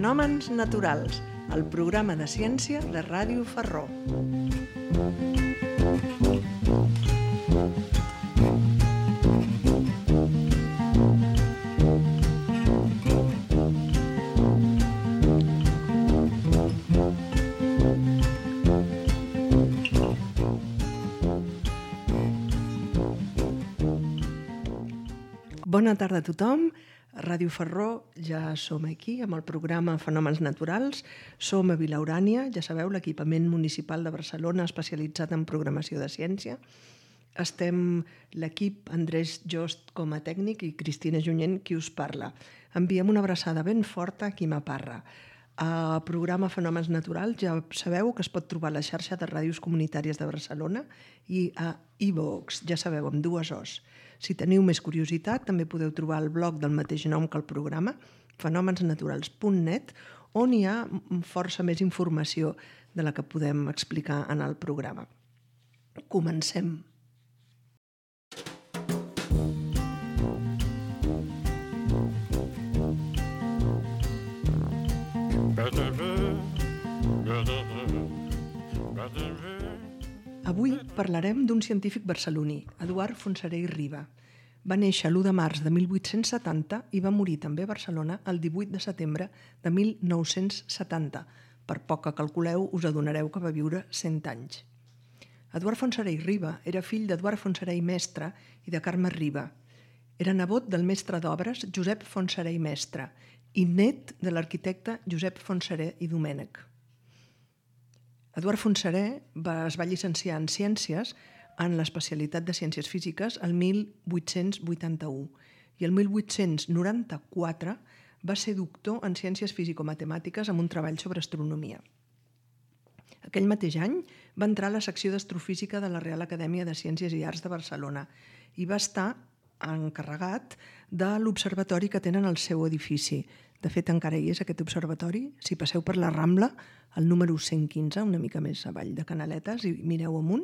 Fenòmens naturals, el programa de ciència de Ràdio Ferró. Bona tarda a tothom. Ràdio Ferró, ja som aquí amb el programa Fenòmens Naturals. Som a Vila Urània, ja sabeu, l'equipament municipal de Barcelona especialitzat en programació de ciència. Estem l'equip Andrés Jost com a tècnic i Cristina Junyent qui us parla. Enviem una abraçada ben forta a Quima Parra. El programa Fenòmens Naturals ja sabeu que es pot trobar a la xarxa de ràdios comunitàries de Barcelona i a iVox, ja sabeu, amb 2 Os. Si teniu més curiositat, també podeu trobar el blog del mateix nom que el programa, fenomensnaturals.net, on hi ha força més informació de la que podem explicar en el programa. Comencem. Avui parlarem d'un científic barceloní, Eduard Fontserè i Riba. Va néixer l'1 de març de 1870 i va morir també a Barcelona el 18 de setembre de 1970. Per poc que calculeu, us adonareu que va viure 100 anys. Eduard Fontserè i Riba era fill d'Eduard Fontserè i Mestre i de Carme Riba. Era nebot del mestre d'obres Josep Fontserè i Mestre i net de l'arquitecte Josep Fontserè i Domènech. Eduard Fontserè es va llicenciar en Ciències en l'especialitat de Ciències Físiques el 1881 i el 1894 va ser doctor en Ciències Físico-Matemàtiques amb un treball sobre astronomia. Aquell mateix any va entrar a la secció d'astrofísica de la Real Acadèmia de Ciències i Arts de Barcelona i va estar encarregat de l'observatori que tenen al seu edifici. De fet, encara hi és aquest observatori. Si passeu per la Rambla, el número 115, una mica més avall de Canaletes, i mireu amunt,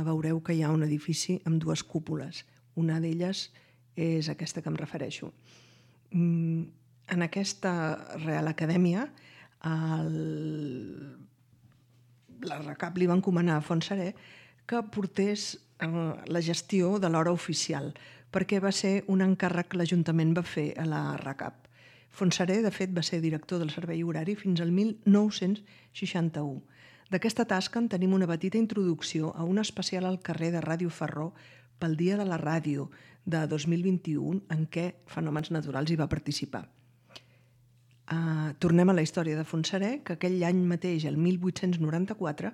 veureu que hi ha un edifici amb 2 cúpules. Una d'elles és aquesta que em refereixo. En aquesta Real Acadèmia, la RACAP li va encomanar a Fontserè que portés la gestió de l'hora oficial, perquè va ser un encàrrec que l'Ajuntament va fer a la RACAP. Fontserè, de fet, va ser director del servei horari fins al 1961. D'aquesta tasca en tenim una petita introducció a un especial al carrer de Ràdio Ferró pel Dia de la Ràdio de 2021 en què Fenòmens Naturals hi va participar. Tornem a la història de Fontserè, que aquell any mateix, el 1894,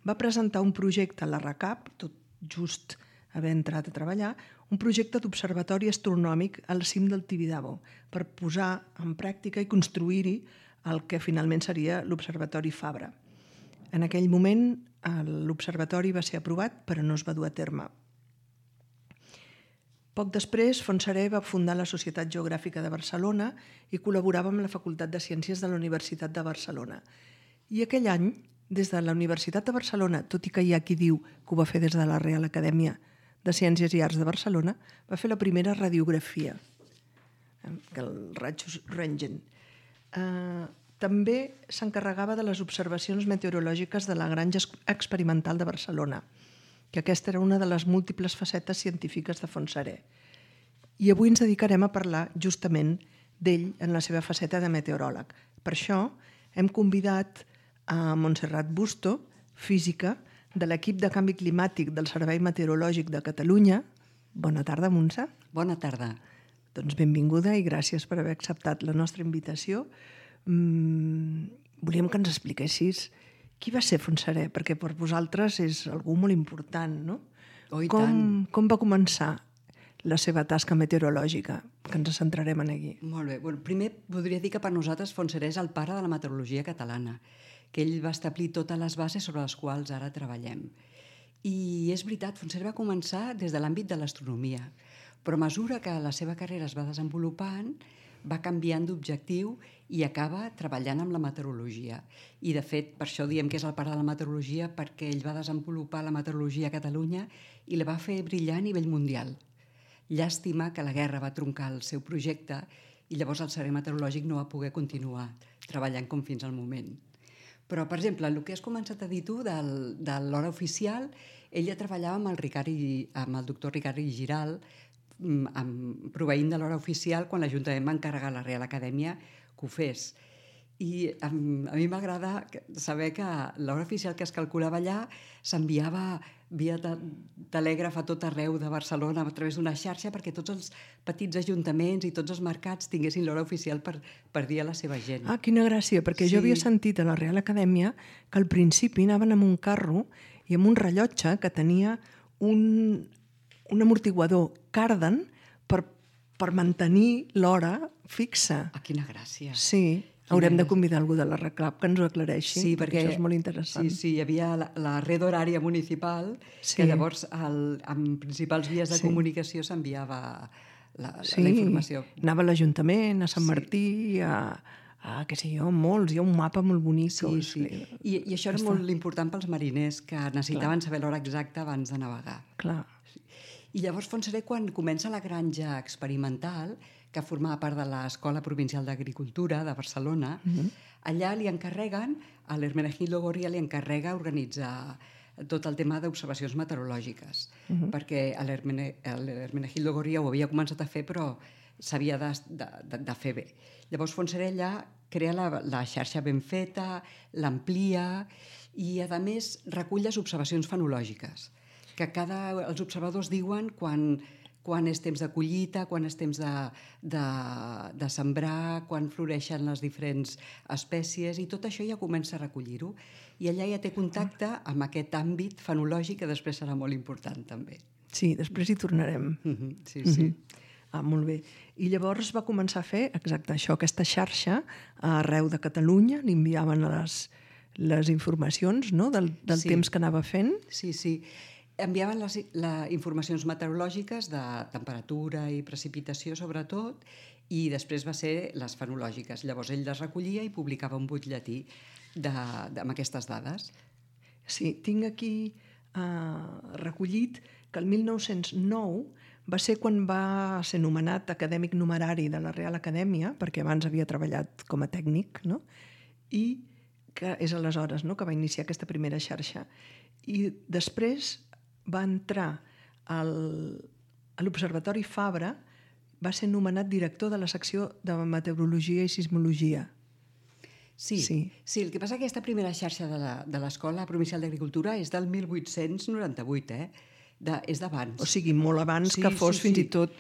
va presentar un projecte a la RACAP, tot just haver entrat a treballar, un projecte d'observatori astronòmic al cim del Tibidabo per posar en pràctica i construir-hi el que finalment seria l'Observatori Fabra. En aquell moment l'observatori va ser aprovat però no es va dur a terme. Poc després, Fontserè va fundar la Societat Geogràfica de Barcelona i col·laborava amb la Facultat de Ciències de la Universitat de Barcelona. I aquell any, des de la Universitat de Barcelona, tot i que hi ha qui diu que ho va fer des de la Real Acadèmia de Ciències i Arts de Barcelona, va fer la primera radiografia, el rajos Röntgen. També s'encarregava de les observacions meteorològiques de la Granja Experimental de Barcelona, que aquesta era una de les múltiples facetes científiques de Fontserè. I avui ens dedicarem a parlar justament d'ell en la seva faceta de meteoròleg. Per això hem convidat a Montserrat Busto, física, de l'equip de canvi climàtic del Servei Meteorològic de Catalunya. Bona tarda, Montse. Bona tarda. Doncs benvinguda i gràcies per haver acceptat la nostra invitació. Volíem que ens expliquessis qui va ser Fontserè, perquè per vosaltres és algú molt important, no? Oh, i tant. Com va començar la seva tasca meteorològica, que ens centrarem en aquí? Molt bé. Primer podria dir que per nosaltres Fontserè és el pare de la meteorologia catalana, que ell va establir totes les bases sobre les quals ara treballem. I és veritat, Fontserè va començar des de l'àmbit de l'astronomia, però a mesura que la seva carrera es va desenvolupant, va canviant d'objectiu i acaba treballant amb la meteorologia. I, de fet, per això diem que és el pare de la meteorologia, perquè ell va desenvolupar la meteorologia a Catalunya i la va fer brillar a nivell mundial. Llàstima que la guerra va troncar el seu projecte i llavors el servei meteorològic no va poder continuar treballant com fins al moment. Però, per exemple, el que has començat a dir tu de l'hora oficial, ella treballava amb el doctor Ricard Giral, proveint de l'hora oficial quan l'Ajuntament va encarregar a la Real Acadèmia que ho fes. I a mi m'agrada saber que l'hora oficial que es calculava allà s'enviava via telègraf a tot arreu de Barcelona a través d'una xarxa perquè tots els petits ajuntaments i tots els mercats tinguessin l'hora oficial per dir a la seva gent. Ah, quina gràcia, perquè jo havia sentit a la Real Acadèmia que al principi anaven amb un carro i amb un rellotge que tenia un amortiguador cardan per mantenir l'hora fixa. Ah, quina gràcia. Sí, haurem de convidar algú de la RECLAP que ens ho aclareixi, perquè això és molt interessant. Sí, hi havia la red horària municipal, que llavors amb principals vies de comunicació s'enviava la informació. Anava a l'Ajuntament, a Sant Martí, què sé jo, molts, hi ha un mapa molt bonic. Sí. I això era molt important pels mariners, que necessitaven saber l'hora exacta abans de navegar. Clar. I llavors Fontserè, quan comença la granja experimental, que formava part de l'Escola Provincial d'Agricultura de Barcelona, allà li encarreguen, a l'Hermenegildo Gorria li encarrega organitzar tot el tema d'observacions meteorològiques, perquè l'Hermenegildo Gorria ho havia començat a fer, però s'havia de fer bé. Llavors Fontserè allà crea la xarxa ben feta, l'amplia i, a més, recull les observacions fenològiques, que els observadors diuen quan és temps de collita, quan és temps de sembrar, quan floreixen les diferents espècies, i tot això ja comença a recollir-ho. I allà ja té contacte amb aquest àmbit fenològic que després serà molt important, també. Sí, després hi tornarem. Sí. Ah, molt bé. I llavors va començar a fer exacte això, aquesta xarxa arreu de Catalunya, li enviaven les informacions, no?, del temps que anava fent. Sí. Enviaven les informacions meteorològiques de temperatura i precipitació, sobretot, i després va ser les fenològiques. Llavors ell les recollia i publicava un butlletí amb aquestes dades. Sí, tinc aquí recollit que el 1909 va ser quan va ser nomenat acadèmic numerari de la Real Acadèmia, perquè abans havia treballat com a tècnic, no? I que és aleshores, no?, que va iniciar aquesta primera xarxa. I després va entrar a l'Observatori Fabra, va ser nomenat director de la secció de Meteorologia i Sismologia. Sí, el que passa que aquesta primera xarxa de l'Escola Provincial d'Agricultura és del 1898, és d'abans. O sigui, molt abans que fos fins i tot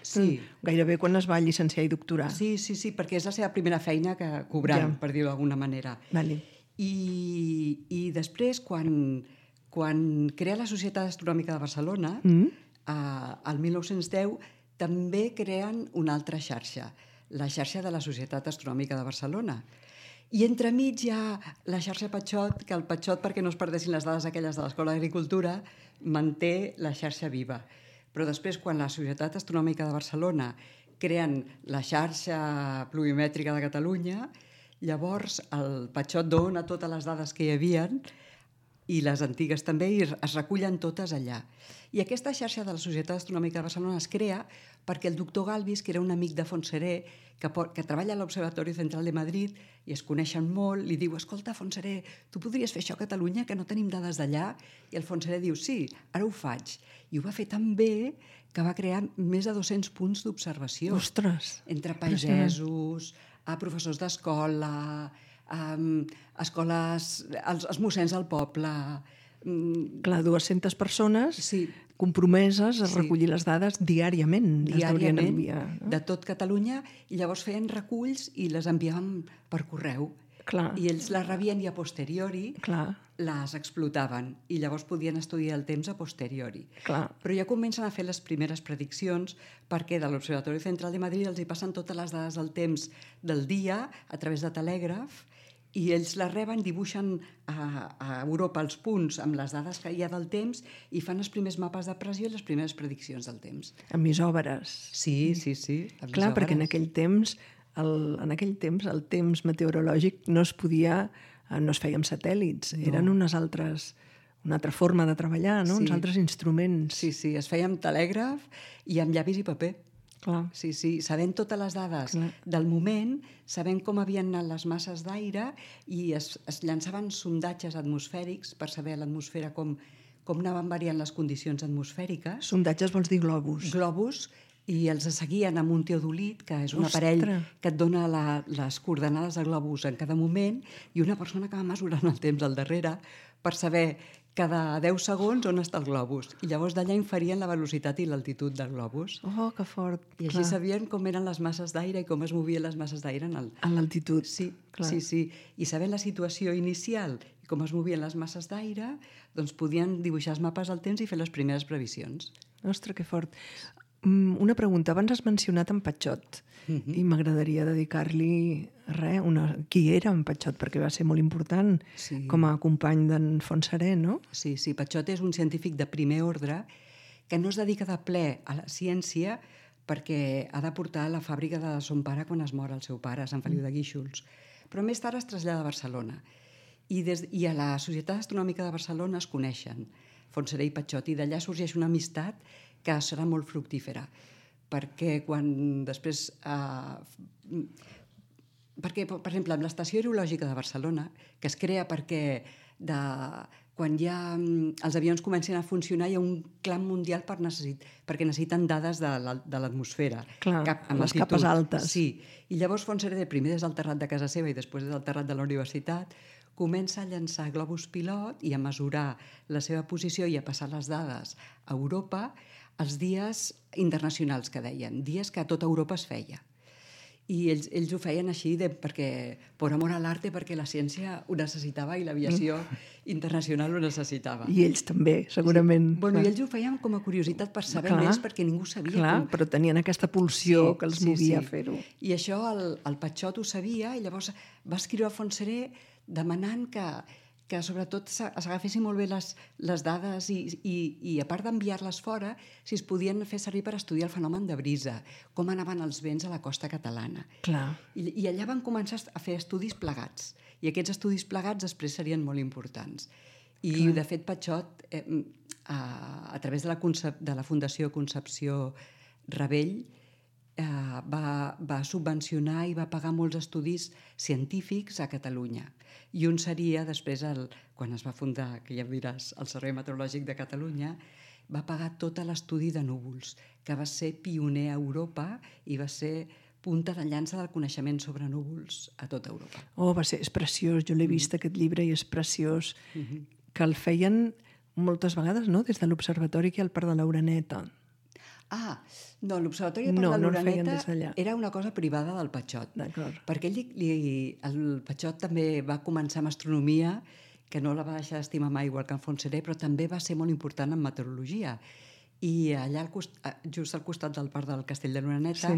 gairebé quan es va llicenciar i doctorar. Sí, perquè és la seva primera feina cobrant, per dir-ho d'alguna manera. Vale. I després, quan crea la Societat Astronòmica de Barcelona, el 1910, també creen una altra xarxa, la xarxa de la Societat Astronòmica de Barcelona. I entremig hi ha la xarxa Patxot, que el Patxot, perquè no es perdessin les dades aquelles de l'Escola d'Agricultura, manté la xarxa viva. Però després, quan la Societat Astronòmica de Barcelona creen la xarxa pluviomètrica de Catalunya, llavors el Patxot dona totes les dades que hi havien i les antigues també, i es recullen totes allà. I aquesta xarxa de la Societat Astronòmica de Barcelona es crea perquè el doctor Galvis, que era un amic de Fontserè, que treballa a l'Observatori Central de Madrid i es coneixen molt, li diu: escolta, Fontserè, tu podries fer això a Catalunya, que no tenim dades d'allà? I el Fontserè diu: sí, ara ho faig. I ho va fer tan bé que va crear més de 200 punts d'observació. Ostres! Entre pagesos, professors d'escola, escoles, els mossens del poble. Clar, 200 persones compromeses a recollir les dades diàriament. De tot Catalunya, i llavors feien reculls i les enviaven per correu. Clar. I ells les rebien i a posteriori les explotaven i llavors podien estudiar el temps a posteriori. Clar. Però ja comencen a fer les primeres prediccions perquè de l'Observatori Central de Madrid els hi passen totes les dades del temps del dia a través de telègraf i ells les reben, dibuixen a Europa els punts amb les dades que hi ha del temps i fan els primers mapes de pressió i les primeres prediccions del temps. Amb isòbares. Sí. Clar, perquè en aquell temps el temps meteorològic no es feia amb satèl·lits, eren una altra forma de treballar, no? Uns altres instruments. Sí, es feia amb telègraf i amb llapis i paper. Clar. Sí, sabent totes les dades del moment, sabent com havien anat les masses d'aire i es llançaven sondatges atmosfèrics per saber a l'atmosfera com anaven variant les condicions atmosfèriques. Sondatges vols dir globus? Globus, i els seguien amb un teodolit, que és un aparell que et dona les coordenades de globus en cada moment, i una persona que va mesurant el temps al darrere per saber cada 10 segons on està el globus. I llavors d'allà inferien la velocitat i l'altitud del globus. Oh, que fort. I així sabien com eren les masses d'aire i com es movien les masses d'aire en l'altitud. Sí. I sabent la situació inicial i com es movien les masses d'aire, doncs podien dibuixar els mapes del temps i fer les primeres previsions. Ostres, que fort. Una pregunta. Abans has mencionat en Patxot i m'agradaria dedicar-li qui era en Patxot, perquè va ser molt important com a company d'en Fontserè, no? Sí, Patxot és un científic de primer ordre que no es dedica de ple a la ciència perquè ha de portar a la fàbrica de son pare quan es mor el seu pare, a Sant Feliu de Guíxols. Però més tard es trasllada a Barcelona i a la Societat Astronòmica de Barcelona es coneixen Fontserè i Patxot, i d'allà sorgeix una amistat que serà molt fructífera, perquè quan després... perquè, per exemple, amb l'Estació Aerològica de Barcelona, que es crea perquè quan ja els avions comencen a funcionar hi ha un clam mundial perquè necessiten dades de l'atmosfera. Clar, les capes altes. Sí, i llavors Fontserè, primer des del terrat de casa seva i després des del terrat de la universitat, comença a llançar globus pilot i a mesurar la seva posició i a passar les dades a Europa els dies internacionals que deien, dies que a tota Europa es feia. I ells ho feien així perquè, por amor a l'arte, perquè la ciència ho necessitava i l'aviació internacional ho necessitava. I ells també, segurament. Bueno, i ells ho feien com a curiositat per saber més, perquè ningú sabia. Clar, però tenien aquesta pulsió que els movia a fer-ho. I això el Patxot ho sabia, i llavors va escriure a Fontserè demanant que sobretot s'agafessin molt bé les dades i a part d'enviar-les fora, si es podien fer servir per estudiar el fenomen de brisa, com anaven els vents a la costa catalana. Clar. I allà van començar a fer estudis plegats, i aquests estudis plegats després serien molt importants. I de fet Patxot, a través de la Fundació Concepció Ravell, va subvencionar i va pagar molts estudis científics a Catalunya. I un seria, després, quan es va fundar, que ja em diràs, el Servei Meteorològic de Catalunya, va pagar tot l'estudi de núvols, que va ser pioner a Europa i va ser punta de llança del coneixement sobre núvols a tota Europa. Oh, és preciós. Jo l'he vist, aquest llibre, i és preciós. Que el feien moltes vegades, no?, des de l'Observatori que hi ha al Parc de l'Oreneta. No, l'Observatori del Parc de l'Oreneta era una cosa privada del Patxot. Perquè el Patxot també va començar amb astronomia, que no la va deixar d'estimar mai, igual que en Fontserè, però també va ser molt important en meteorologia. I allà, just al costat del Parc del Castell de l'Oreneta,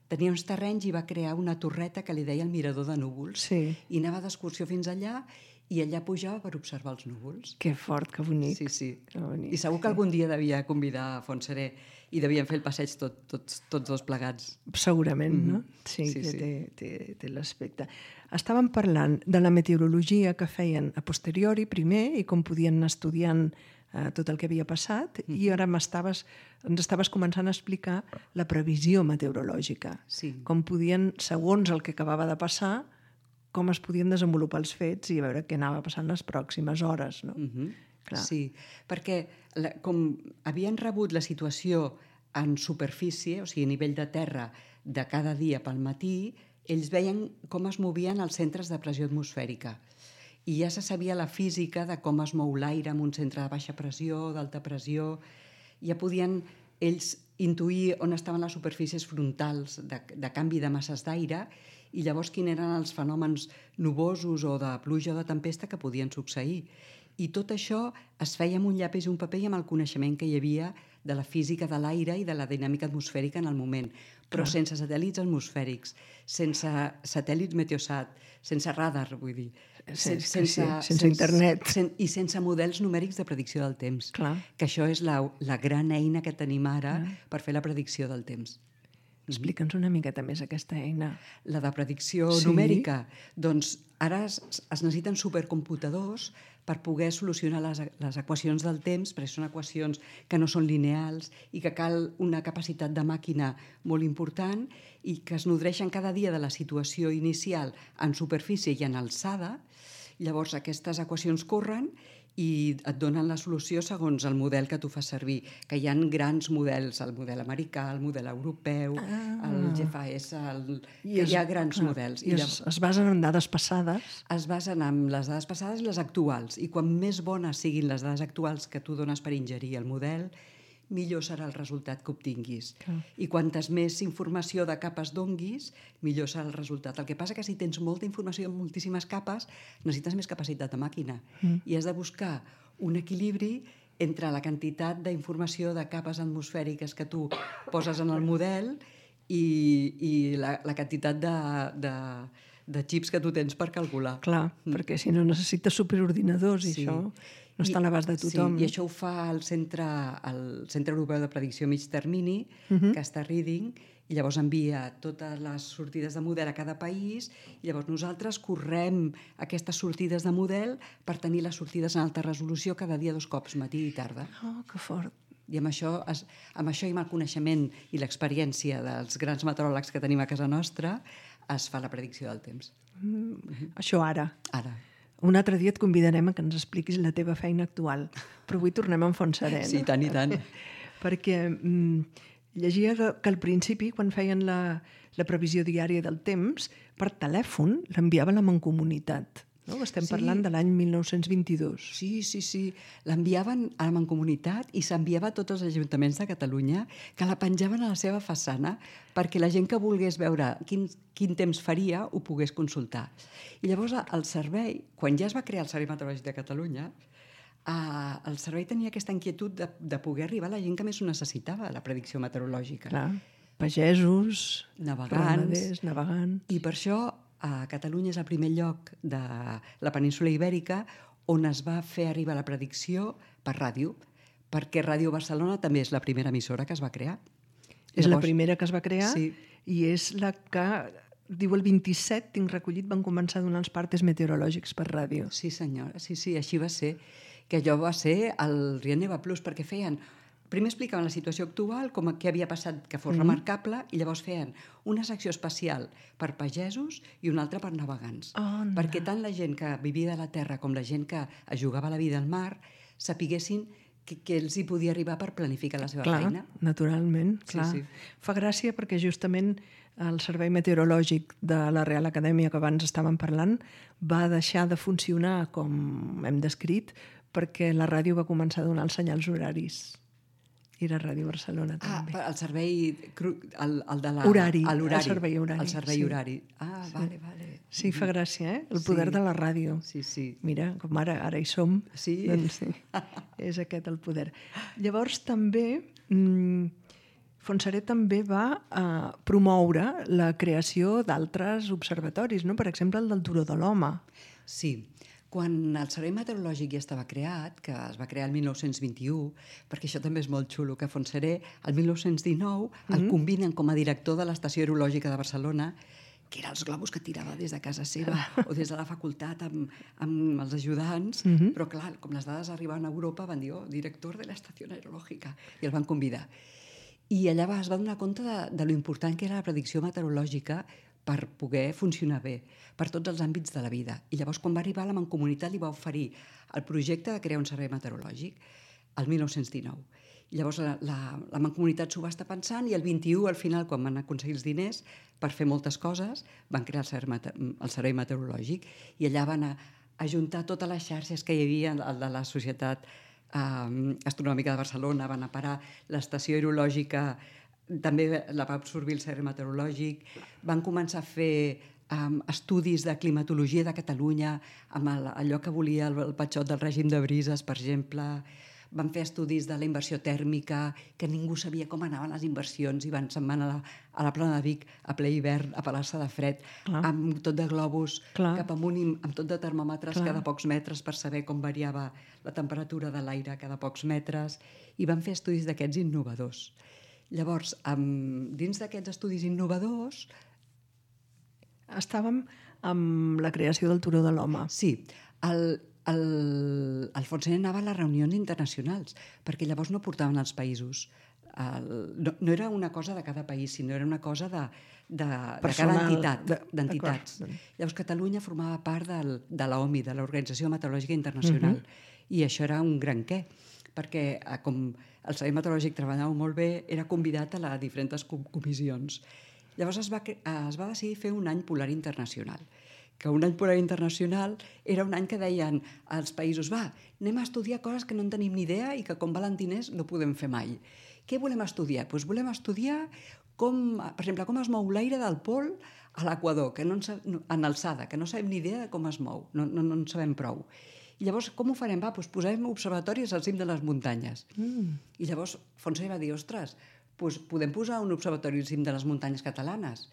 tenia uns terrenys i va crear una torreta que li deia el mirador de núvols. I anava d'excursió fins allà i allà pujava per observar els núvols. Que fort, que bonic. Sí. I segur que algun dia devia convidar a Fontserè i devien fer el passeig tots dos plegats. Segurament, no? Sí, té l'aspecte. Estàvem parlant de la meteorologia que feien a posteriori, primer, i com podien anar estudiant tot el que havia passat, i ara ens estaves començant a explicar la previsió meteorològica. Com podien, segons el que acabava de passar, com es podien desenvolupar els fets i a veure què anava passant les pròximes hores, no? Sí, perquè com havien rebut la situació en superfície, o sigui, a nivell de terra, de cada dia pel matí, ells veien com es movien els centres de pressió atmosfèrica. I ja se sabia la física de com es mou l'aire en un centre de baixa pressió, d'alta pressió. Ja podien ells intuir on estaven les superfícies frontals de canvi de masses d'aire i llavors quins eren els fenòmens nuvosos o de pluja o de tempesta que podien succeir. I tot això es feia amb un llapis i un paper i amb el coneixement que hi havia de la física de l'aire i de la dinàmica atmosfèrica en el moment, però sense satèl·lits atmosfèrics, sense satèl·lits Meteosat, sense radar, vull dir. Sense internet. I sense models numèrics de predicció del temps. Que això és la gran eina que tenim ara per fer la predicció del temps. Explica'ns una miqueta més aquesta eina. La de predicció numèrica. Doncs ara es necessiten supercomputadors per poder solucionar les equacions del temps, perquè són equacions que no són lineals i que cal una capacitat de màquina molt important i que es nodreixen cada dia de la situació inicial en superfície i en alçada. Llavors aquestes equacions corren i et donen la solució segons el model que tu fas servir, que hi ha grans models, el model americà, el model europeu, el GFAS, hi ha grans models. I es basen en dades passades? Es basen en les dades passades i les actuals, i quan més bones siguin les dades actuals que tu dones per ingerir el model, millor serà el resultat que obtinguis. I quantes més informació de capes donguis, millor serà el resultat. El que passa que si tens molta informació en moltíssimes capes, necessites més capacitat de màquina. I has de buscar un equilibri entre la quantitat d'informació de capes atmosfèriques que tu poses en el model i la quantitat de xips que tu tens per calcular. Clar, perquè si no necessites superordinadors i això no està a l'abast de tothom. Sí, i això ho fa el Centre Europeu de Predicció a Mig Termini, que està a Reading, i llavors envia totes les sortides de model a cada país, i llavors nosaltres correm aquestes sortides de model per tenir les sortides en alta resolució cada dia 2 cops, matí i tarda. Oh, que fort. I amb això i amb el coneixement i l'experiència dels grans meteoròlegs que tenim a casa nostra, es fa la predicció del temps. Això ara. Ara. Un altre dia et convidarem a que ens expliquis la teva feina actual, però avui tornem en Fontserè. Sí, tant i tant. Perquè llegia que al principi, quan feien la previsió diària del temps, per telèfon l'enviava la Mancomunitat. No? Estem parlant de l'any 1922. Sí. L'enviaven a la Mancomunitat i s'enviava a tots els ajuntaments de Catalunya, que la penjaven a la seva façana perquè la gent que volgués veure quin temps faria ho pogués consultar. I llavors el servei, quan ja es va crear el Servei Meteorològic de Catalunya, el servei tenia aquesta inquietud de poder arribar a la gent que més ho necessitava, la predicció meteorològica. Clar, pagesos, navegants. navegants. I per això a Catalunya és el primer lloc de la península Ibèrica on es va fer arribar la predicció per ràdio, perquè Ràdio Barcelona també és la primera emissora que es va crear. És la primera que es va crear sí. I és la que, diu el 27, tinc recollit, van començar a donar els partes meteorològics per ràdio. Sí, senyora, sí, així va ser. Que allò va ser el Rienneva Plus, perquè feien... Primer explicaven la situació actual, com què havia passat que fos remarcable, i llavors feien una secció especial per pagesos i una altra per navegants. Perquè tant la gent que vivia de la terra com la gent que es jugava la vida al mar sapiguessin que els hi podia arribar per planificar la seva feina. Naturalment, clar. Sí. Fa gràcia perquè justament el Servei Meteorològic de la Real Acadèmia que abans estàvem parlant va deixar de funcionar com hem descrit perquè la ràdio va començar a donar els senyals horaris. I la Ràdio Barcelona també. El servei... El de la... Horari. El servei horari. El servei horari. Vale. Sí, fa gràcia, El poder de la ràdio. Sí. Mira, com ara hi som. Sí. Doncs sí, és aquest el poder. Llavors també... Fontserè també va promoure la creació d'altres observatoris, no? Per exemple, el del Turó de l'Home. Sí. Quan el Servei Meteorològic ja estava creat, que es va crear el 1921, perquè això també és molt xulo, que Fontserè, el 1919, el combinen com a director de l'Estació Aerològica de Barcelona, que eren els globus que tirava des de casa seva o des de la facultat amb els ajudants, però clar, com les dades arribaven a Europa, van dir, director de l'Estació Aerològica, i el van convidar. I allà es va donar compte de lo important que era la predicció meteorològica per poder funcionar bé, per tots els àmbits de la vida. I llavors, quan va arribar a la Mancomunitat, li va oferir el projecte de crear un servei meteorològic el 1919. I llavors la Mancomunitat s'ho va estar pensant i el 21, al final, quan van aconseguir els diners per fer moltes coses, van crear el servei meteorològic i allà van ajuntar totes les xarxes que hi havia, el de la Societat Astronòmica de Barcelona, van a parar l'estació aerològica, també la va absorbir el servei meteorològic, van començar a fer estudis de climatologia de Catalunya amb allò que volia el Patxot del règim de brises, per exemple. Van fer estudis de la inversió tèrmica, que ningú sabia com anaven les inversions, i se'n van a la plana de Vic a ple hivern a pelar-se de fred, amb tot de globus cap amunt, amb tot de termòmetres cada pocs metres per saber com variava la temperatura de l'aire cada pocs metres, i van fer estudis d'aquests innovadors. Llavors, dins d'aquests estudis innovadors... Estàvem amb la creació del Turó de l'Home. Sí. el Fontserè anava a les reunions internacionals, perquè llavors no portaven els països. No era una cosa de cada país, sinó era una cosa de cada entitat, d'entitats. Llavors Catalunya formava part de l'OMI, de l'Organització Meteorològica Internacional, i això era un gran què, perquè com el Servei Meteorològic treballava molt bé, era convidat a les diferents comissions. Llavors es va decidir fer un any polar internacional, que un any polar internacional era un any que deien als països, anem a estudiar coses que no en tenim ni idea i que com valentiners no podem fer mai. Què volem estudiar? Doncs volem estudiar per exemple, com es mou l'aire del pol a l'equador, en alçada, que no sabem ni idea de com es mou, no en sabem prou. I llavors, com ho farem? Doncs posem observatoris al cim de les muntanyes. I llavors Fontserè va dir, ostres, podem posar un observatori al cim de les muntanyes catalanes.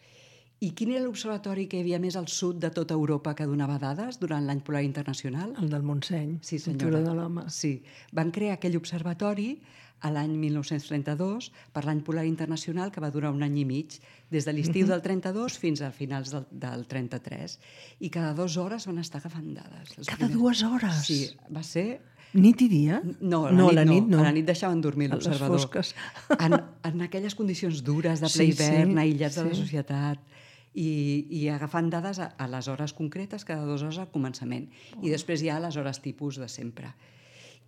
I quin era l'observatori que hi havia més al sud de tota Europa que donava dades durant l'any polar internacional? El del Montseny, sí, el Turó de l'Home. Sí, van crear aquell observatori a l'any 1932 per l'any polar internacional, que va durar un any i mig, des de l'estiu del 32 fins a finals del 33. I cada 2 hores van estar agafant dades. Cada 2 hores? Sí, va ser... Nit i dia? No, a la nit no. A la nit deixaven dormir l'observador. A les fosques. En aquelles condicions dures de ple hivern, aïllats de la societat, i agafant dades a les hores concretes, cada 2 hores al començament. I després hi ha les hores tipus de sempre.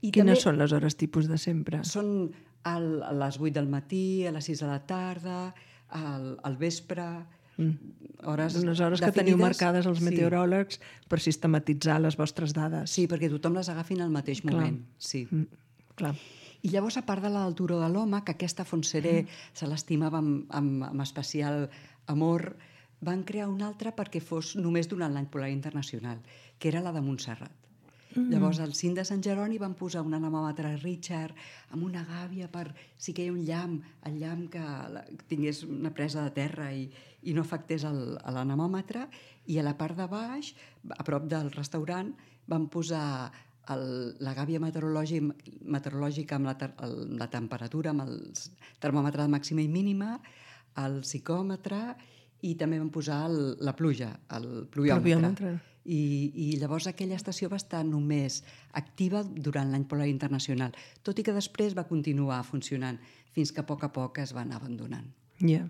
Quines són les hores tipus de sempre? Són a les 8 del matí, a les 6 de la tarda, al vespre... Unes hores que teniu marcades els meteoròlegs per sistematitzar les vostres dades. Sí, perquè tothom les agafi en el mateix moment. Sí. Clar. I llavors, a part de la del Turó de l'Home, que aquesta Fontserè se l'estimava amb especial amor, van crear una altra perquè fos només durant l'any polar internacional, que era la de Montserrat. Llavors, al cim de Sant Jeroni van posar un anemòmetre Richard amb una gàbia per si queia un llamp, el llamp que tingués una presa de terra i no afectés l'anemòmetre, i a la part de baix, a prop del restaurant, van posar la gàbia meteorològica amb la temperatura, amb el termòmetre de màxima i mínima, el psicòmetre, i també van posar la pluja, el pluviòmetre. I llavors aquella estació va estar només activa durant l'any polar internacional, tot i que després va continuar funcionant fins que a poc es va anar abandonant. Ja.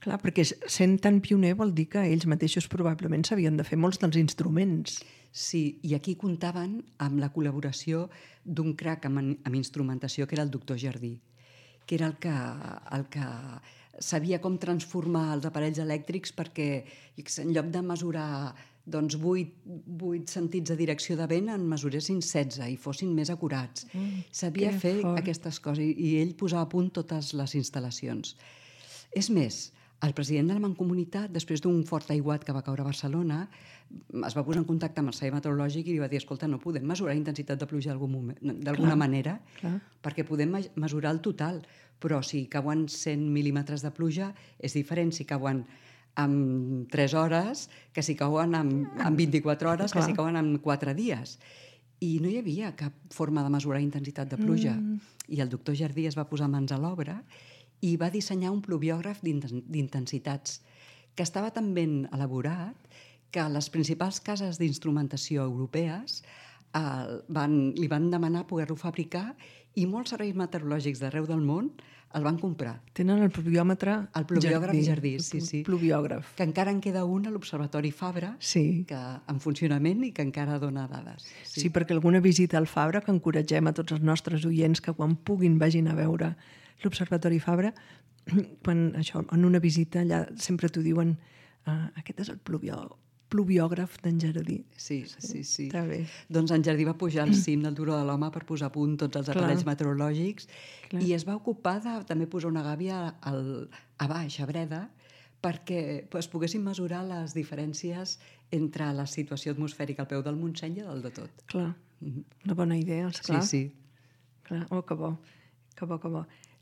Clar, perquè sent tan pioner vol dir que ells mateixos probablement s'havien de fer molts dels instruments. Sí, i aquí comptaven amb la col·laboració d'un crac amb instrumentació, que era el doctor Jardí, que era el que sabia com transformar els aparells elèctrics perquè en lloc de mesurar 8 sentits de direcció de vent en mesuressin 16 i fossin més acurats. Sabia fer aquestes coses i ell posava a punt totes les instal·lacions. És més, el president de la Mancomunitat, després d'un fort aiguat que va caure a Barcelona, es va posar en contacte amb el Servei Meteorològic i li va dir, escolta, no podem mesurar intensitat de pluja d'alguna manera, perquè podem mesurar el total, però si cauen 100 mil·límetres de pluja és diferent si cauen en 3 hores que si cauen en 24 hores, que si cauen en 4 dies. I no hi havia cap forma de mesurar intensitat de pluja. I el doctor Jardí es va posar mans a l'obra i va dissenyar un pluviògraf d'intensitats que estava tan ben elaborat que les principals cases d'instrumentació europees li van demanar poder-lo fabricar i molts serveis meteorològics d'arreu del món el van comprar. Tenen el pluviòmetre El pluviògraf Jardí, sí. Pluviògraf. Que encara en queda un a l'Observatori Fabra, en funcionament i que encara dona dades. Sí, perquè alguna visita al Fabra, que encoratgem a tots els nostres oients que quan puguin vagin a veure l'Observatori Fabra, en una visita allà sempre t'ho diuen, aquest és el pluviògraf d'en Jardí. Sí. Està bé. Doncs en Jardí va pujar al cim del Turó de l'Home per posar a punt tots els aparells meteorològics i es va ocupar de també posar una gàbia a baix, a Breda, perquè es poguessin mesurar les diferències entre la situació atmosfèrica al peu del Montseny i del de tot. Clar, una bona idea, esclar. Sí. Clar. Oh, que bo.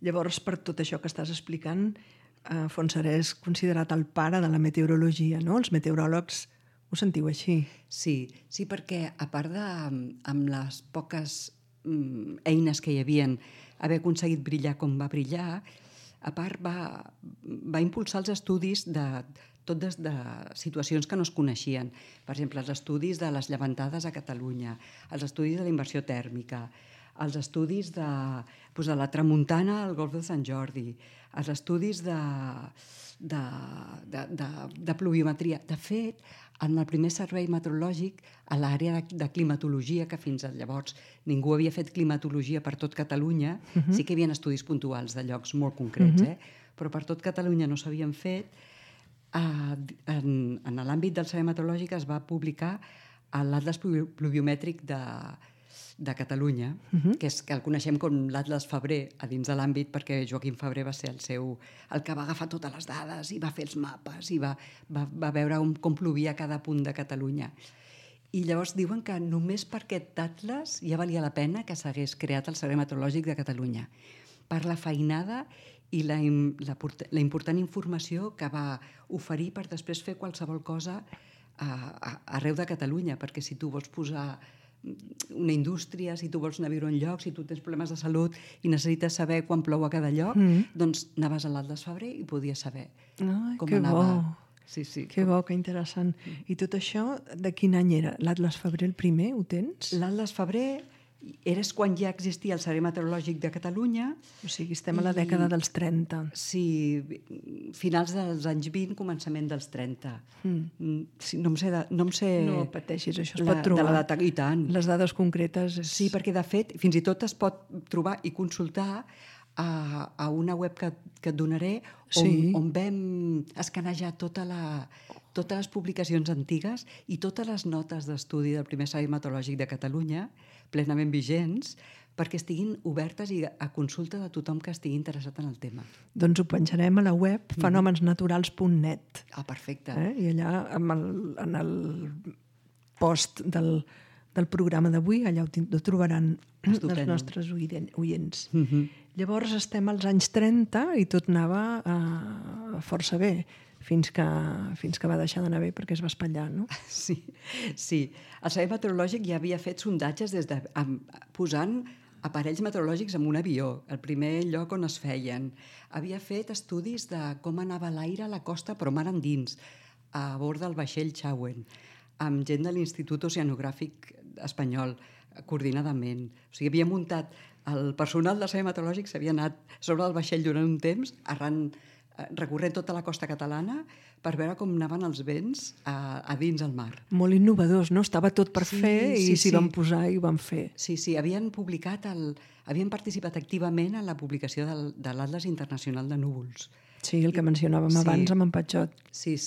Llavors, per tot això que estàs explicant, Fontserè és considerat el pare de la meteorologia, no? Els meteoròlegs ho sentiu així? Sí, perquè a part amb les poques eines que hi havien, haver aconseguit brillar com va brillar, A part, va impulsar els estudis de situacions que no es coneixien. Per exemple, els estudis de les llevantades a Catalunya, els estudis de la inversió tèrmica, els estudis de la tramuntana al golf de Sant Jordi, els estudis de pluviometria. De fet, en el primer servei meteorològic, a l'àrea de climatologia, que fins llavors ningú havia fet climatologia per tot Catalunya, sí que hi havia estudis puntuals de llocs molt concrets, però per tot Catalunya no s'havien fet. En l'àmbit del servei meteorològic es va publicar l'Atles pluviomètric de Catalunya, que el coneixem com l'Atles Febrer a dins de l'àmbit, perquè Joaquim Febrer va ser el que va agafar totes les dades i va fer els mapes i va veure com plovia cada punt de Catalunya. I llavors diuen que només per aquest atles ja valia la pena que s'hagués creat el Servei Meteorològic de Catalunya, per la feinada i la important informació que va oferir per després fer qualsevol cosa arreu de Catalunya, perquè si tu vols posar una indústria, si tu vols anar a viure a un lloc, si tu tens problemes de salut i necessites saber quan plou a cada lloc, doncs anaves a l'Atles Febrer i podies saber com anava. Que bo, que interessant. I tot això, de quin any era? L'Atles Febrer el primer, ho tens? L'Atles Febrer és quan ja existia el Servei Meteorològic de Catalunya. O sigui, estem a la dècada dels 30. Sí, finals dels anys 20, començament dels 30. No em sé... No pateixis, això es pot trobar. De la data, i tant. Les dades concretes... Sí, perquè de fet, fins i tot es pot trobar i consultar a una web que et donaré on vam escanejar totes les publicacions antigues i totes les notes d'estudi del primer Servei Meteorològic de Catalunya, plenament vigents, perquè estiguin obertes i a consulta de tothom que estigui interessat en el tema. Doncs ho penjarem a la web fenomensnaturals.net. Ah, perfecte. I allà, en el post del programa d'avui, allà ho trobaran els nostres oients. Llavors estem als anys 30 i tot anava força bé, fins que va deixar d'anar bé perquè es va espatllar, no? Sí. El Servei Meteorològic ja havia fet sondatges posant aparells meteorològics en un avió, el primer lloc on es feien. Havia fet estudis de com anava l'aire a la costa, però mar endins, a bord del vaixell Chauen, amb gent de l'Institut Oceanogràfic Espanyol, coordinadament. O sigui, havia muntat el personal del Servei Meteorològic, s'havia anat sobre el vaixell durant un temps, recorrent tota la costa catalana per veure com anaven els vents a dins el mar. Molt innovadors, no? Estava tot per fer i s'hi van posar i ho van fer. Sí, havien participat activament en la publicació de l'Atles Internacional de Núvols. Sí, el que mencionàvem abans amb en Patxot. Sí,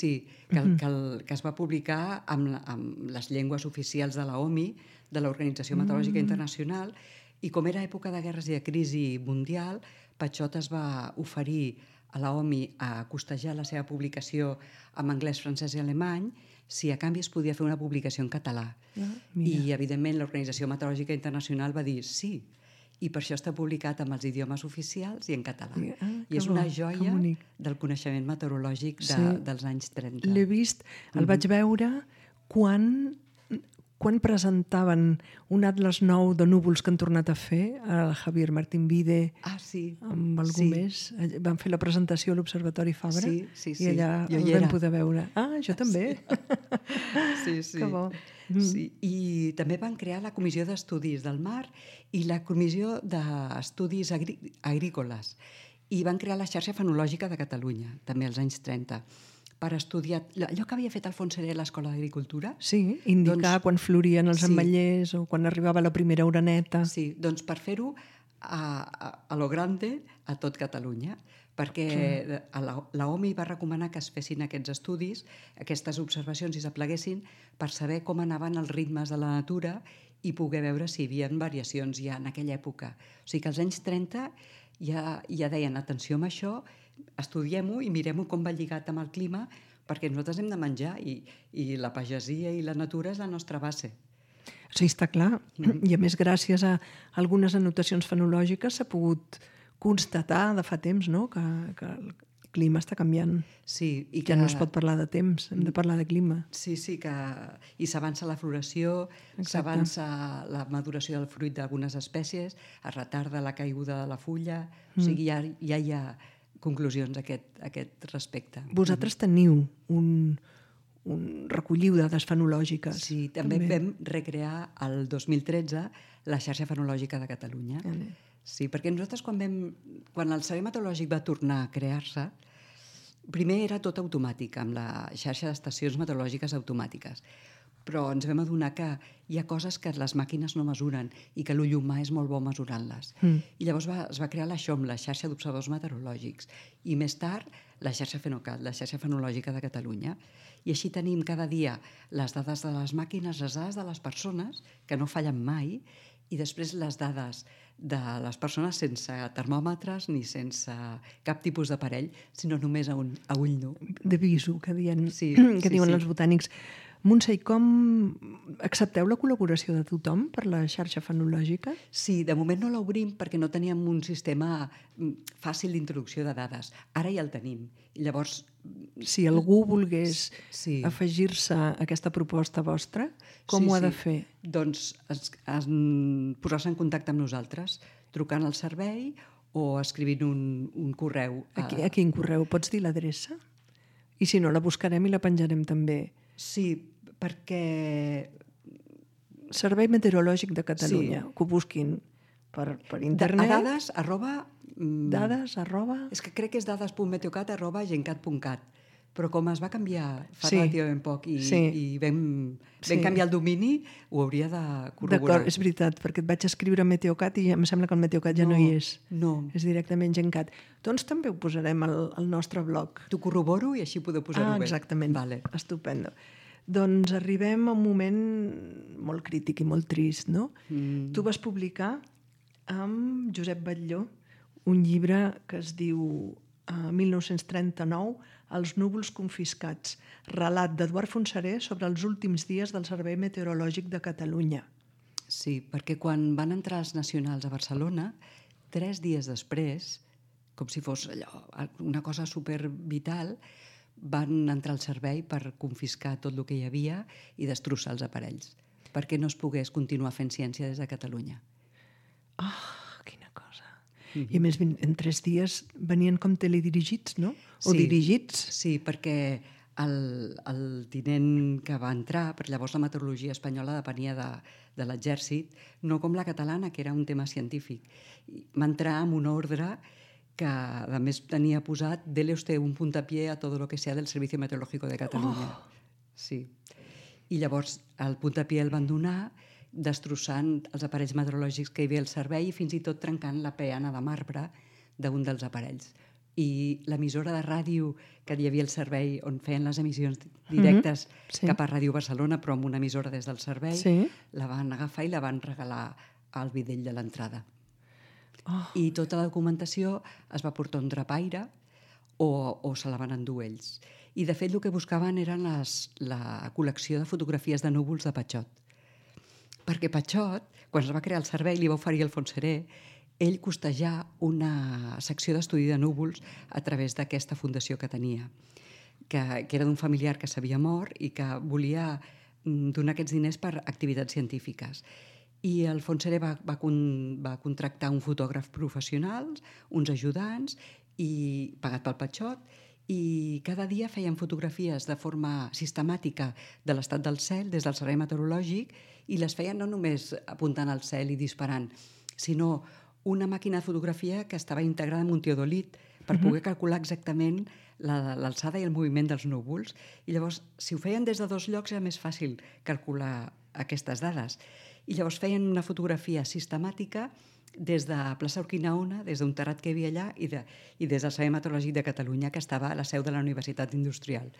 que es va publicar amb les llengües oficials de l'OMI, de l'Organització Meteorològica Internacional, i com era època de guerres i de crisi mundial, Patxot es va oferir a l'OMI a costejar la seva publicació en anglès, francès i alemany, si a canvi es podia fer una publicació en català. I, evidentment, l'Organització Meteorològica Internacional va dir sí, i per això està publicat amb els idiomes oficials i en català. I és una joia del coneixement meteorològic dels anys 30. L'he vist, el vaig veure quan presentaven un atles nou de núvols que han tornat a fer, el Javier Martín Vide, amb algú més. Van fer la presentació a l'Observatori Fabra i allà el vam poder veure. Ah, jo també. Sí. Que bo. Sí. I també van crear la Comissió d'Estudis del Mar i la Comissió d'Estudis Agrícoles. I van crear la Xarxa Fenològica de Catalunya, també als anys 30, per estudiar allò que havia fet Alfons Seré a l'Escola d'Agricultura. Sí, indicar quan florien els ametllers o quan arribava la primera oreneta. Sí, doncs per fer-ho a lo grande a tot Catalunya, perquè l'OMI va recomanar que es fessin aquests estudis, aquestes observacions i s'apleguessin per saber com anaven els ritmes de la natura i poder veure si hi havia variacions ja en aquella època. O sigui que als anys 30 ja deien, atenció amb això, estudiem-ho i mirem-ho com va lligat amb el clima, perquè nosaltres hem de menjar i la pagesia i la natura és la nostra base. Sí, està clar. I a més, gràcies a algunes anotacions fenològiques s'ha pogut constatar de fa temps, no?, que el clima està canviant. Sí, i que no es pot parlar de temps, hem de parlar de clima. Sí, i s'avança la floració, s'avança la maduració del fruit d'algunes espècies, es retarda la caiguda de la fulla, o sigui, ja hi ha conclusions a aquest respecte. Vosaltres teniu recolliu dades fenològiques. Sí, també vam recrear el 2013 la xarxa fenològica de Catalunya. Sí, perquè nosaltres quan el Servei Meteorològic va tornar a crear-se, primer era tot automàtic, amb la xarxa d'estacions meteorològiques automàtiques. Però ens vam adonar que hi ha coses que les màquines no mesuren i que l'ull humà és molt bo mesurant-les. I llavors es va crear la XOM, la xarxa d'observadors meteorològics, i més tard la xarxa FENOCAT, la xarxa fenològica de Catalunya. I així tenim cada dia les dades de les màquines, les dades de les persones, que no fallen mai, i després les dades de les persones sense termòmetres ni sense cap tipus d'aparell, sinó només a ull nu. De visu, que diuen els botànics. Montse, i com accepteu la col·laboració de tothom per la xarxa fenològica? Sí, de moment no l'obrim perquè no teníem un sistema fàcil d'introducció de dades. Ara ja el tenim. I llavors... Si algú volgués afegir-se a aquesta proposta vostra, com ho ha de fer? Doncs posar-se en contacte amb nosaltres, trucant al servei o escrivint un correu. A quin correu? Pots dir l'adreça? I si no, la buscarem i la penjarem també. Sí, perquè... Servei Meteorològic de Catalunya, que ho busquin per internet. Dades, arroba... Dades, arroba... És que crec que és dades.meteocat@gencat.cat, però com es va canviar fa relativament poc i vam canviar el domini, ho hauria de corroborar. D'acord, és veritat, perquè et vaig escriure Meteocat i em sembla que el Meteocat ja no hi és. No. És directament Gencat. Doncs també ho posarem al nostre blog. T'ho corroboro i així podeu posar-ho bé. Exactament. Vale. Estupendo. Doncs arribem a un moment molt crític i molt trist, no? Tu vas publicar amb Josep Batlló un llibre que es diu 1939, Els núvols confiscats, relat d'Eduard Fontserè sobre els últims dies del Servei Meteorològic de Catalunya. Sí, perquè quan van entrar els nacionals a Barcelona, 3 dies després, com si fos allò, una cosa supervital, van entrar al servei per confiscar tot el que hi havia i destrossar els aparells, perquè no es pogués continuar fent ciència des de Catalunya. Quina cosa. I a més, en 3 dies venien com teledirigits, no? O dirigits. Sí, perquè el tinent que va entrar, perquè llavors la meteorologia espanyola depenia de l'exèrcit, no com la catalana, que era un tema científic. Va entrar amb una ordre que, a més, tenia posat «Dele usted un puntapié a todo lo que sea del Servicio Meteorológico de Catalunya». Sí. I llavors el puntapié el van donar destrossant els aparells meteorològics que hi havia al servei i fins i tot trencant la peana de marbre d'un dels aparells. I l'emissora de ràdio que hi havia al servei on feien les emissions directes cap a Ràdio Barcelona, però amb una emissora des del servei, la van agafar i la van regalar al videll de l'entrada. I tota la documentació es va portar un drapaire o se la van endur ells. I de fet el que buscaven eren la col·lecció de fotografies de núvols de Patxot. Perquè Patxot, quan es va crear el servei, li va oferir al Fontserè ell costejar una secció d'estudi de núvols a través d'aquesta fundació que tenia, que era d'un familiar que s'havia mort i que volia donar aquests diners per activitats científiques. I el Fontserè va contractar un fotògraf professional, uns ajudants, i pagat pel Patxot, i cada dia feien fotografies de forma sistemàtica de l'estat del cel des del servei meteorològic i les feien no només apuntant al cel i disparant, sinó una màquina de fotografia que estava integrada en un teodolit per poder calcular exactament l'alçada i el moviment dels núvols. I llavors, si ho feien des de 2 llocs, era més fàcil calcular aquestes dades. I llavors feien una fotografia sistemàtica des de plaça Urquinaona, des d'un terrat que hi havia allà, i des del Servei Meteorològic de Catalunya, que estava a la seu de la Universitat Industrial.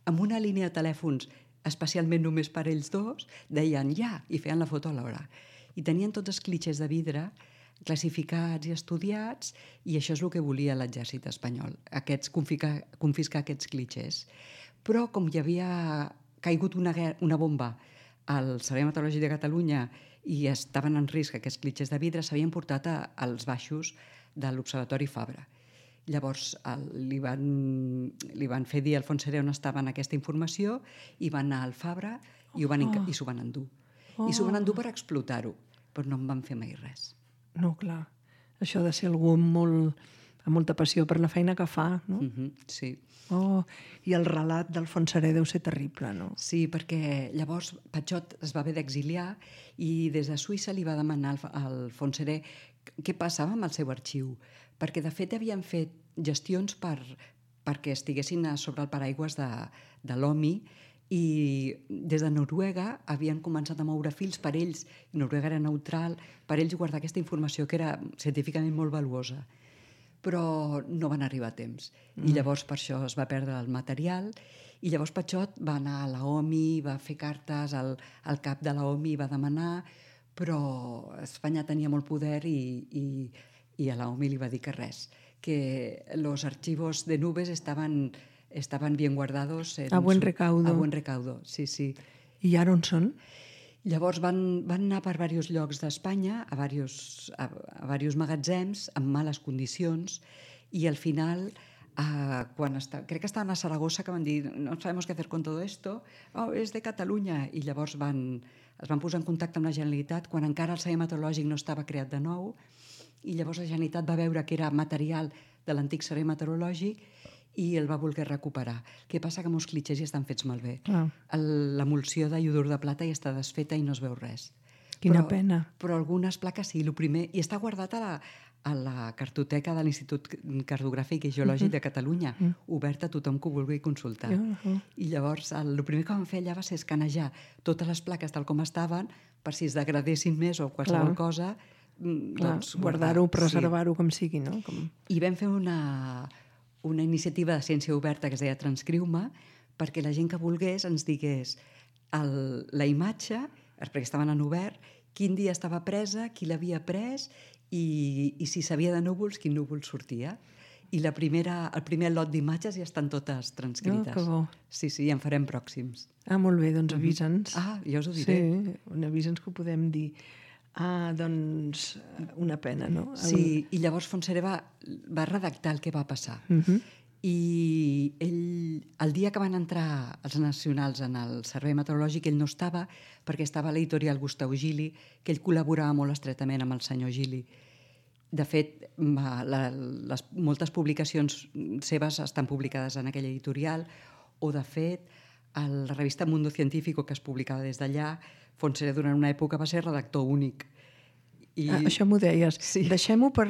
Amb una línia de telèfons especialment només per ells dos, deien ja, i feien la foto a l'hora. I tenien tots els clitxers de vidre classificats i estudiats, i això és el que volia l'exèrcit espanyol, confiscar aquests clitxers. Però com hi havia caigut una bomba al Servei Meteorològic de Catalunya i estaven en risc aquests clitxers de vidre, s'havien portat als baixos de l'Observatori Fabra. Llavors li van fer dir al Fontserè on estava aquesta informació i van anar al Fabra i s'ho van endur. I s'ho van endur per explotar-ho, però no en van fer mai res. No, clar. Això ha de ser algú molt amb molta passió per la feina que fa, no? Sí. Oh, i el relat del Fontserè deu ser terrible, no? Sí, perquè llavors Patxot es va haver d'exiliar i des de Suïssa li va demanar al Fontserè què passava amb el seu arxiu, perquè de fet havien fet gestions perquè estiguessin sobre el paraigües de l'OMI i des de Noruega havien començat a moure fils per ells, Noruega era neutral, per ells guardar aquesta informació que era científicament molt valuosa, però no van arribar a temps. I llavors per això es va perdre el material i llavors Patxot va anar a la OMI, va fer cartes al cap de la OMI, va demanar, però Espanya tenia molt poder i a la OMI li va dir que res, que los archivos de Nubes estaban bien guardados. A buen recaudo. A buen recaudo, sí, sí. I ara on són? Llavors van anar per diversos llocs d'Espanya, a diversos magatzems, amb males condicions, i al final, crec que estaven a Saragossa, que van dir, no sabemos qué hacer con todo esto, és de Catalunya, i llavors es van posar en contacte amb la Generalitat quan encara el Servei Meteorològic no estava creat de nou, i llavors la Generalitat va veure que era material de l'antic Servei Meteorològic i el va voler recuperar. El que passa que molts clitxers ja estan fets malbé. L'emulsió de iodur de plata ja està desfeta i no es veu res. Quina pena. Però algunes plaques sí, el primer... I està guardat a la cartoteca de l'Institut Cartogràfic i Geològic de Catalunya, oberta a tothom que ho vulgui consultar. I llavors el primer que vam fer allà va ser escanejar totes les plaques tal com estaven, per si es degradessin més o qualsevol cosa, doncs guardar-ho, preservar-ho com sigui, no? I vam fer una iniciativa de ciència oberta que es deia Transcriu-me, perquè la gent que volgués ens digués la imatge, perquè estaven en obert, quin dia estava presa, qui l'havia pres i si sabia de núvols, quin núvol sortia. I el primer lot d'imatges ja estan totes transcrites. Que bo. Sí, en farem pròxims. Molt bé, doncs avisa'ns. Ja us ho diré. Sí, avisa'ns que ho podem dir. Doncs una pena, no? Sí, i llavors Fontserè va redactar el que va passar. I ell, el dia que van entrar els nacionals en el Servei Meteorològic, ell no estava, perquè estava a l'editorial Gustau Gili, que ell col·laborava molt estretament amb el senyor Gili. De fet, moltes publicacions seves estan publicades en aquella editorial, o de fet, a la revista Mundo Científico, que es publicava des d'allà, Fontserè durant una època va ser redactor únic. Això m'ho deies. Sí. Deixem-ho per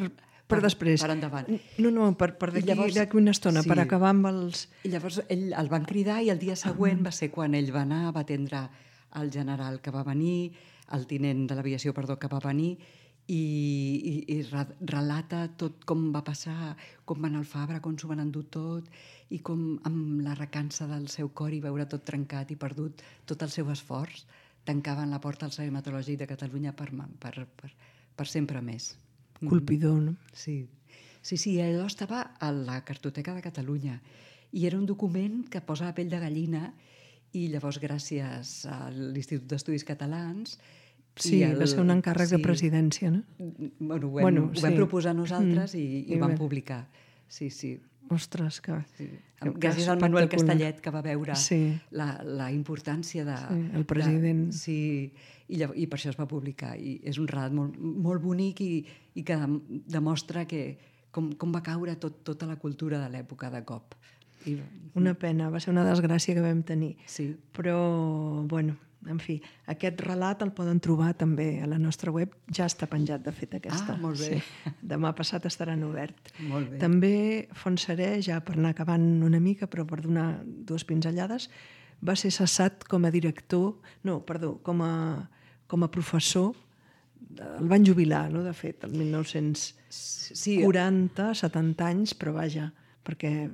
després. Per endavant. No, per d'aquí una estona, per acabar amb els... I llavors el van cridar i el dia següent va ser quan ell va anar, va atendre el general que va venir, el tinent de l'aviació, que va venir, i relata tot com va passar, com va anar al Fabra, com s'ho van endur tot, i com amb la recança del seu cor i veure tot trencat i perdut tot el seu esforç, tancaven la porta al Servei Meteorològic de Catalunya per sempre més. Colpidor, no? Sí, allò estava a la cartoteca de Catalunya i era un document que posa la pell de gallina i llavors gràcies a l'Institut d'Estudis Catalans... Sí, va ser un encàrrec de presidència, no? Ho vam proposar nosaltres i ho vam publicar. Sí. Ostres, que... Gràcies al Manuel Castellet, que va veure la importància de... el president. I per això es va publicar. I és un relat molt bonic i que demostra com va caure tota la cultura de l'època de cop. Una pena, va ser una desgràcia que vam tenir. Sí. Però, bueno, en fi, aquest relat el poden trobar també a la nostra web. Ja està penjat, de fet, aquesta. Molt bé. Sí. Demà passat estaran obert. Molt bé. També Fontserè, ja per anar acabant una mica, però per donar dues pinzellades, va ser cessat com a director... No, perdó, com a professor. El van jubilar, no?, de fet, el 1940, 70 anys, però vaja, perquè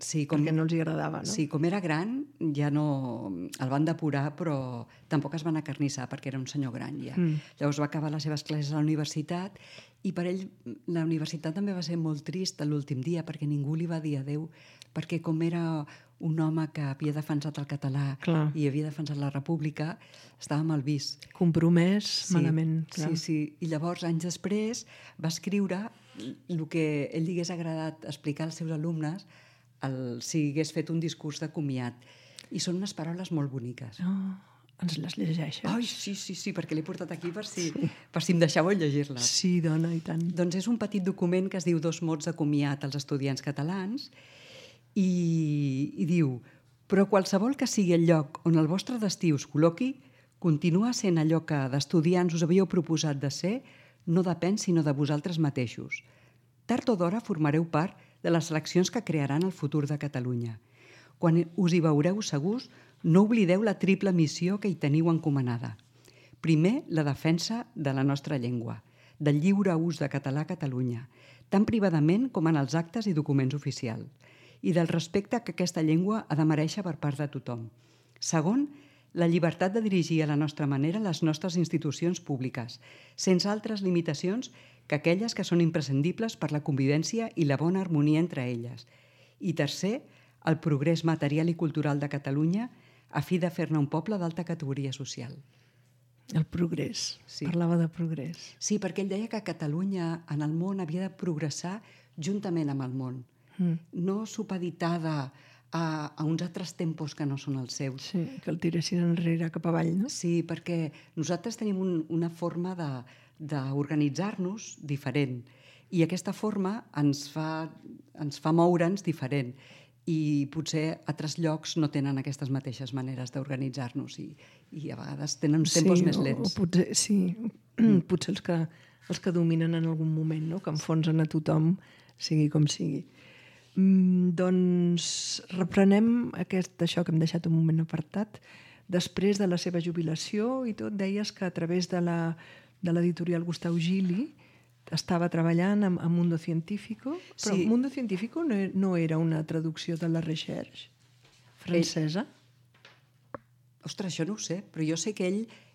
no els hi agradava, no? Sí, com era gran, ja no... El van depurar, però tampoc es van acarnissar, perquè era un senyor gran, ja. Llavors va acabar les seves classes a la universitat i per ell la universitat també va ser molt trist l'últim dia, perquè ningú li va dir adéu, perquè com era un home que havia defensat el català i havia defensat la república, estava mal vist. Compromès, malament. Sí. I llavors, anys després, va escriure el que ell li hagués agradat explicar als seus alumnes si hagués fet un discurs de comiat. I són unes paraules molt boniques. Ens les llegeixes? Ai, sí, perquè l'he portat aquí per si em deixàveu llegir-les. Sí, dona, i tant. Doncs és un petit document que es diu 2 mots de comiat als estudiants catalans i diu: però qualsevol que sigui el lloc on el vostre destí us col·loqui, continua sent allò que d'estudiants us havíeu proposat de ser, no depèn sinó de vosaltres mateixos. Tard o d'hora formareu part de les seleccions que crearan el futur de Catalunya. Quan us hi veureu segurs, no oblideu la triple missió que hi teniu encomanada. Primer, la defensa de la nostra llengua, del lliure ús de català a Catalunya, tant privadament com en els actes i documents oficials, i del respecte que aquesta llengua ha de merèixer per part de tothom. Segon, la llibertat de dirigir a la nostra manera les nostres institucions públiques, sense altres limitacions que aquelles que són imprescindibles per la convivència i la bona harmonia entre elles. I tercer, el progrés material i cultural de Catalunya a fi de fer-ne un poble d'alta categoria social. El progrés. Sí. Parlava de progrés. Sí, perquè ell deia que Catalunya en el món havia de progressar juntament amb el món, no supeditada a uns altres tempos que no són els seus. Sí, que el tiressin enrere cap avall, no? Sí, perquè nosaltres tenim una forma d'organitzar-nos diferent i aquesta forma ens fa moure'ns diferent i potser altres llocs no tenen aquestes mateixes maneres d'organitzar-nos i a vegades tenen uns tempos més lents. Potser els que dominen en algun moment, no? Que enfonsen a tothom, sigui com sigui. Doncs reprenem això que hem deixat un moment apartat. Després de la seva jubilació i tot, deies que a través de l'editorial Gustau Gili estava treballant amb Mundo Científico, però sí. Mundo Científico no era una traducció de la Recherche francesa? Ostres, això no ho sé, però jo sé que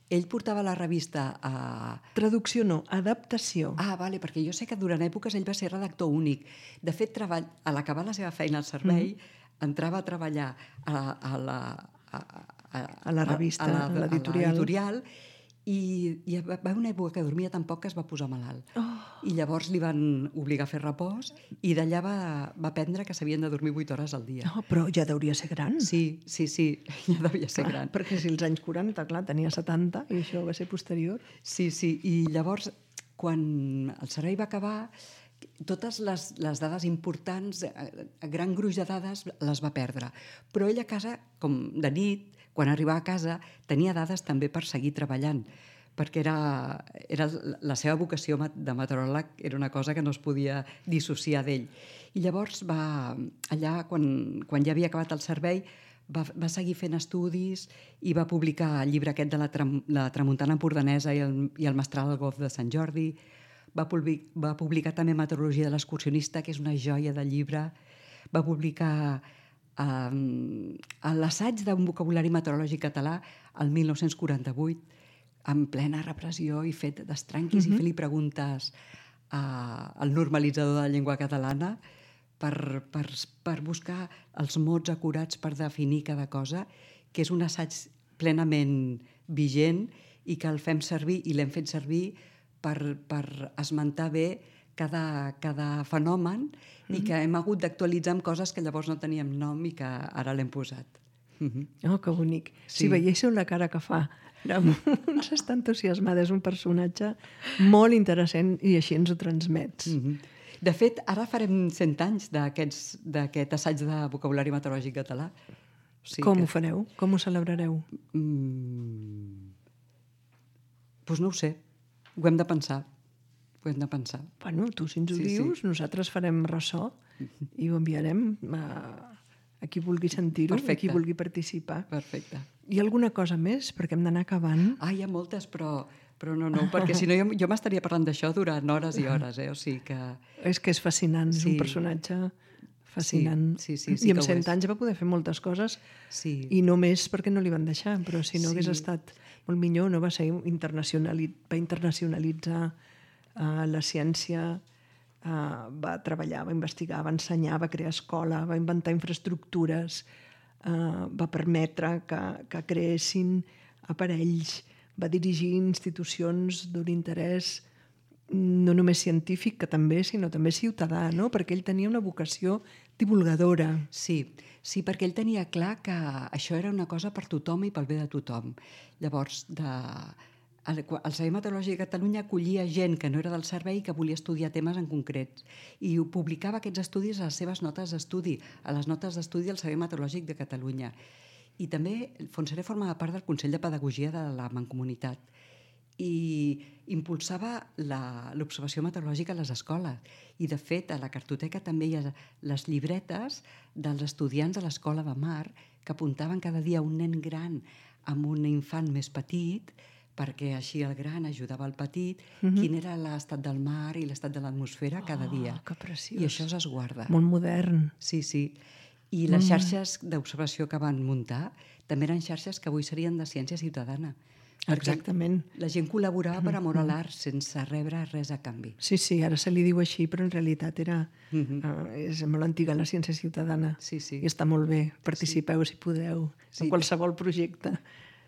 ell portava la revista a... Traducció no, adaptació. Ah, vale, perquè jo sé que durant èpoques ell va ser redactor únic. De fet, a l'acabar la seva feina al servei, entrava a treballar a la revista, a l'editorial, i va haver una època que dormia tan poc que es va posar malalt. I llavors li van obligar a fer repòs i d'allà va aprendre que s'havien de dormir 8 hores al dia. Però ja deuria ser gran. Sí, ja devia ser gran. Perquè si als anys 40, clar, tenia 70 i això va ser posterior. Sí, i llavors, quan el servei va acabar, totes les dades importants, gran gruix de dades, les va perdre. Però ell a casa, com de nit, quan arribava a casa, tenia dades també per seguir treballant, perquè era la seva vocació de meteoròleg era una cosa que no es podia dissociar d'ell. I llavors allà, quan ja havia acabat el servei, va seguir fent estudis i va publicar el llibre aquest de la tramuntana empordanesa i el mestral al golf de Sant Jordi. Va publicar també Meteorologia de l'excursionista, que és una joia de llibre. Va publicar l'assaig d'un vocabulari meteorològic català el 1948, en plena repressió i fet d'estranquis i fer-li preguntes al normalitzador de la llengua catalana per buscar els mots acurats per definir cada cosa, que és un assaig plenament vigent i que el fem servir i l'hem fet servir per esmentar bé cada fenomen i que hem hagut d'actualitzar amb coses que llavors no teníem nom i que ara l'hem posat. Oh, que bonic. Si veiéssiu la cara que fa, està entusiasmada, és un personatge molt interessant i així ens ho transmets. De fet, ara farem 100 anys d'aquest assaig de vocabulari meteorològic català. Com ho fareu? Com ho celebrareu? Doncs no ho sé. Ho hem de pensar. Bueno, tu si ens ho dius, nosaltres farem ressò i ho enviarem a qui vulgui sentir-ho, a qui vulgui participar. Perfecte. Hi ha alguna cosa més? Perquè hem d'anar acabant. Hi ha moltes, però no, perquè si no jo m'estaria parlant d'això durant hores i hores. O sigui que... És que és fascinant, és un personatge fascinant. I amb 100 anys va poder fer moltes coses i només perquè no li van deixar, però si no hagués estat molt millor, no va internacionalitzar la ciència, va treballar, va investigar, va ensenyar, va crear escola, va inventar infraestructures, va permetre que creessin aparells, va dirigir institucions d'un interès no només científic, que també, sinó també ciutadà, no? Perquè ell tenia una vocació divulgadora. Sí, perquè ell tenia clar que això era una cosa per tothom i pel bé de tothom. Llavors, el Servei Meteorològic de Catalunya acollia gent que no era del servei i que volia estudiar temes en concrets i publicava aquests estudis a les seves notes d'estudi, a les notes d'estudi del Servei Meteorològic de Catalunya. I també Fontserè formava part del Consell de Pedagogia de la Mancomunitat i impulsava l'observació meteorològica a les escoles. I, de fet, a la cartoteca també hi ha les llibretes dels estudiants de l'Escola de Mar que apuntaven cada dia un nen gran amb un infant més petit, perquè així el gran ajudava el petit, quin era l'estat del mar i l'estat de l'atmosfera cada dia. Que preciós. I això es guarda. Molt modern. Sí. I les xarxes d'observació que van muntar també eren xarxes que avui serien de ciència ciutadana. Exactament. La gent col·laborava per amor a l'art sense rebre res a canvi. Sí, ara se li diu així, però en realitat és molt antiga la ciència ciutadana. Sí. I està molt bé. Participeu si podeu en qualsevol projecte.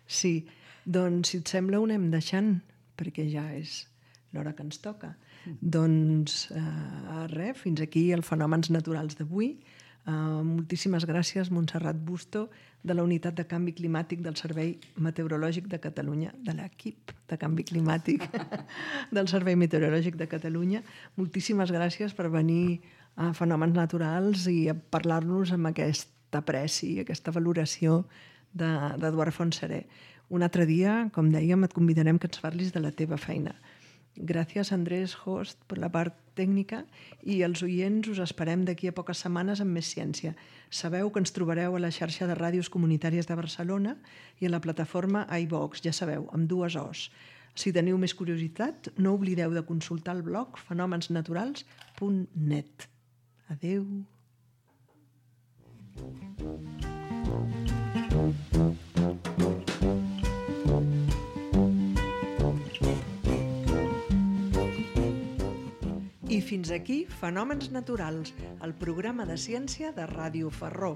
Sí. Doncs, si et sembla, ho anem deixant, perquè ja és l'hora que ens toca. Doncs res, fins aquí els fenòmens naturals d'avui. Moltíssimes gràcies, Montserrat Busto, de la Unitat de Canvi Climàtic del Servei Meteorològic de Catalunya, de l'equip de Canvi Climàtic del Servei Meteorològic de Catalunya. Moltíssimes gràcies per venir a Fenòmens Naturals i a parlar-nos amb aquesta apreci, aquesta valoració d'Eduard Fontserè. Un altre dia, com dèiem, et convidarem que ens parlis de la teva feina. Gràcies, Andrés Host, per la part tècnica, i els oients us esperem d'aquí a poques setmanes amb més ciència. Sabeu que ens trobareu a la xarxa de ràdios comunitàries de Barcelona i a la plataforma iVox, ja sabeu, amb 2 Os. Si teniu més curiositat, no oblideu de consultar el blog fenomensnaturals.net. Adeu. I fins aquí Fenòmens Naturals, el programa de ciència de Ràdio Ferró.